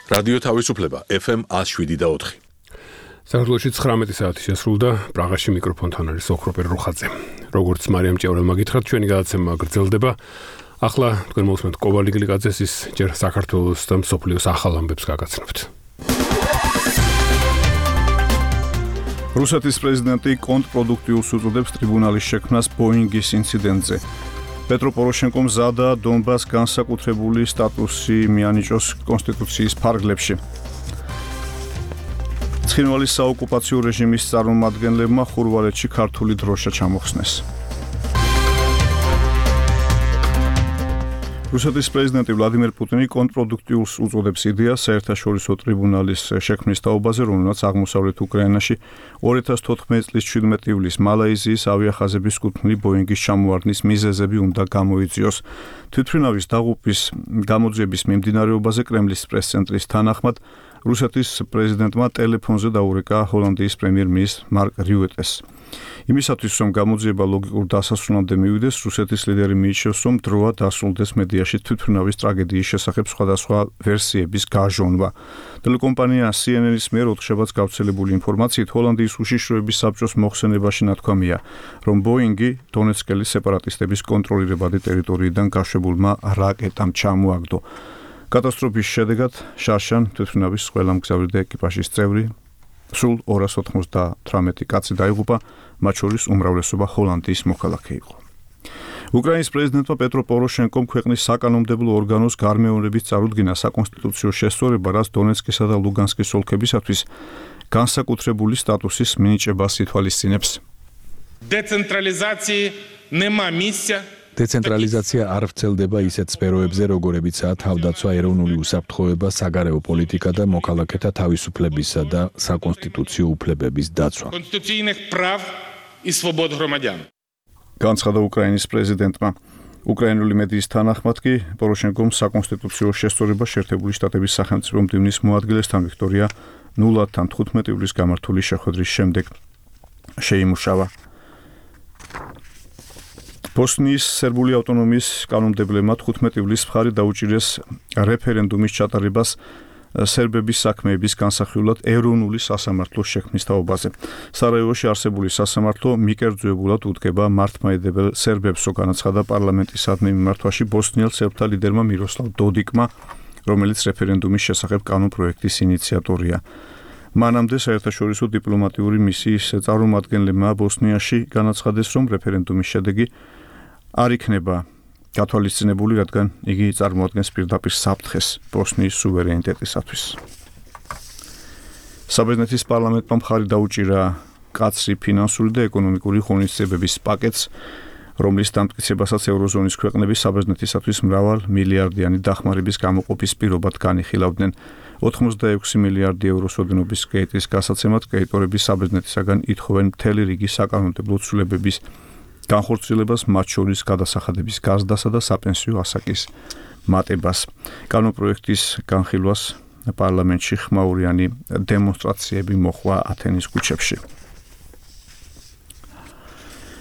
რადიო თავისუფლება FM 107.4. საქართველოში 19 საათი შესრულდა. პრაღაში მიკროფონთან არის ოქროპერ რუხაძე. როგორც მარიამ ჭევრელმა გითხრათ, ჩვენი გადაცემა გრძელდება. ახლა თქვენ მოვსმენთ კოვალი გლიკაძეს ის ჯერ საქართველოს და მსოფლიოს ახალ ამბებს გაგაცნობთ. რუსეთის პრეზიდენტი კონტრპროდუქტიულს უწოდებს ტრიბუნალის შექმნას ბოინგის ინციდენტზე. პეტრო პოროშენკომ ზადა დონბას განსაკუთრებული სტატუსი მიანიჭოს კონსტიტუციის ფარგლებში. ცხინვალის საოკუპაციო რეჟიმის წარმომადგენლებმა ხურვალეთში ქართული დროშა ჩამოხსნეს. რუსეთის პრეზიდენტი ვლადიმერ პუტინი კონტრპროდუქტიულს უწოდებს იდეას საერთაშორისო ტრიბუნალის შექმნის თაობაზე, რომელმაც აღმოსავლეთ უკრაინაში 2014 წლის 17 ივლისს მალაიზიის ავიახაზების კუთვნილი ბოინგის ჩამოარდნის მიზეზები უნდა გამოიწვიოს. თვითმფრინავის დაღუპვის გამოძიების მიმდინარეობაზე კრემლის პრეს-ცენტრის თანახმად რუსეთის პრეზიდენტმა ტელეფონზე დაურეკა ჰოლანდიის პრემიერ-მინისტრ მარკ რიუტეს. იმისათვის, რომ გამოძიება ლოგიკურ დასასრულამდე მივიდეს, რუსეთის ლიდერი მიიჩნევს, რომ დროა დასრულდეს მედიაში თვითმფრინავის ტრაგედიის შესახებ სხვადასხვა ვერსიების გაჟონვა. ტელეკომპანია CNN-ის მიერ ოთხშაბათს გავრცელებული ინფორმაციით, ჰოლანდიის უშიშროების საბჭოს მოხსენებაში ნათქვამია, რომ ბოინგი დონეცკელის სეპარატისტების კონტროლირებადი ტერიტორიიდან გაშვებულმა რაკეტამ ჩამოაგდო. კატასტროფის შედეგად შარშან თვითმფრინავის ყველა მგზავრი და ეკიპაჟის წევრი სულ 298 კაცი დაიღუპა, მათ შორის უმრავლესობა ჰოლანდიის მოქალაქე იყო. უკრაინის პრეზიდენტმა პეტრო პოროშენკომ ქვეყნის საკანონმდებლო ორგანოს გარმეორების წარუდგინა საკონსტიტუციო შესწორება, რაც დონეცკისა და ლუგანსკის ოლქებისათვის განსაკუთრებული სტატუსის მინიჭებას ითვალისწინებს. დეცენტრალიზაცია არ ვრცელდება ისეთ სფეროებზე, როგორებიცაა თავდაცვა, ეროვნული უსაფრთხოება, საგარეო პოლიტიკა და მოქალაქეთა თავისუფლებისა და საკონსტიტუციო უფლებების დაცვა. განცხადა უკრაინის პრეზიდენტმა. უკრაინული მედიის თანახმად კი პოროშენკომ საკონსტიტუციო შესწორება შეერთებული შტატების სახელმწიფო მდივნის მოადგილესთან ვიქტორია ნულადთან 15 ივლისს გამართული შეხვედრის შემდეგ შეიმუშავა. ბოსნიის სერბული ავტონომიის კანონმდებლებმა 15 ივლისს მხარი დაუჭირეს რეფერენდუმის ჩატარებას სერბების საქმეების განსახილველად ეროვნული სასამართლოს შექმნის თაობაზე. სარაევოში არსებული სასამართლო მიკერძოებულად უდგება მართლმადიდებელ სერბებსო, განაცხადა პარლამენტისადმი მიმართვაში ბოსნიელ სერბთა ლიდერმა მიროსლავ დოდიკმა, რომელიც რეფერენდუმის შესახებ კანონპროექტის ინიციატორია. მანამდე საერთაშორისო დიპლომატიური მისიის წარმომადგენლებმა ბოსნიაში განაცხადეს, რომ რეფერენდუმის შედეგი არ იქნება გათვალისწინებული, რადგან იგი წარმოადგენს პირდაპირ საფრთხეს ბოსნიის სუვერენიტეტისათვის. საბერძნეთის პარლამენტმა მხარი დაუჭირა კაცრი ფინანსური და ეკონომიკური ღონისძიებების პაკეტს, რომლის დამტკიცებასაც ევროზონის ქვეყნები საბერძნეთისათვის მრავალ მილიარდიანი დახმარების გამოყოფის პირობად განიხილავდნენ. 86 მილიარდი ევროს ოდენობის კრედიტის გასაცემად კრედიტორები საბერძნეთისაგან ითხოვენ მთელი რიგი საკანონმდებლო ცვლილებების განხორციელებას, მათ შორის გადასახადების გაზრდასა და საპენსიო ასაკის მატებას. კანონპროექტის განხილვას პარლამენტში ხმაურიანი დემონსტრაციები მოჰყვა ათენის ქუჩებში.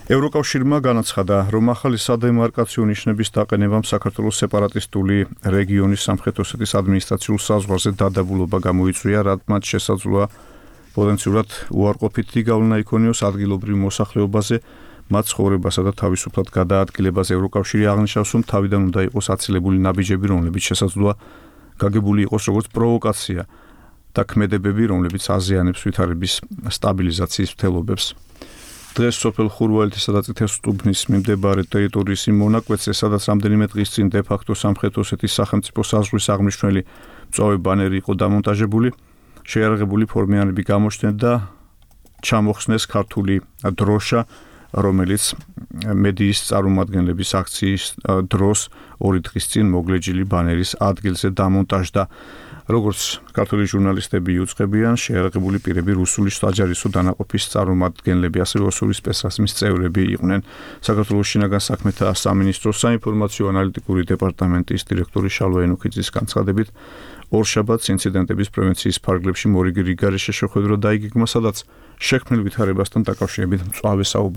ევროკავშირმა განაცხადა, რომ ახალი სადემარკაციო ნიშნების დაყენებამ საქართველოს სეპარატისტული რეგიონის სამხრეთ ოსეთის ადმინისტრაციულ საზღვარზე დადაბულობა გამოიწვია, რაც შესაძლოა პოტენციურად უარყოფითი გავლენა იქონიოს ადგილობრივ მოსახლეობაზე, მათ ცხოვრებასა და თავისუფლად გადაადგილებაზე. ევროკავშირი აღნიშნავს, რომ თავიდან უნდა იყოს აცილებული ნაბიჯები, რომლებიც შესაძლოა გაგებული იყოს როგორც პროვოკაცია და ქმედებები, რომლებიც აზიანებს ვითარების სტაბილიზაციის მცდელობებს. დღეს სოფელ ხურვალეთისა და წითელსტუბნის მიმდებარე ტერიტორიის იმ მონაკვეთზე, სადაც რამდენიმე დღის წინ დე-ფაქტო სამხრეთ ოსეთის სახელმწიფო საზღვრის აღმნიშვნელი მწვავე ბანერი იყო დამონტაჟებული, შეიარაღებული ფორმიანები გამოჩნდნენ და ჩამოხსნეს ქართული დროშა, რომელიც მედიის წარმომადგენლების აქციის დროს 2 დღის წინ მოგლეჯილი ბანერის ადგილზე დამონტაჟდა. როგორც ქართული ჟურნალისტები იუწყებიან, შეიარაღებული პირები რუსული საჯარისო დანაყოფის წარმომადგენლები, ასევე ოსური სპეცრაზმის წევრები იყვნენ. საქართველოს შინაგან საქმეთა სამინისტროს საინფორმაციო ანალიტიკური დეპარტამენტის დირექტორი შალვა ენუქიძის განცხადებით, ორშაბათს ინციდენტების პრევენციის ფარგლებში მორიგი რიგარეშე შეხვედრა დაიგეგმა, სადაც შექმნილ ვითარებასთან დაკავშირებით მწვავე საუბარი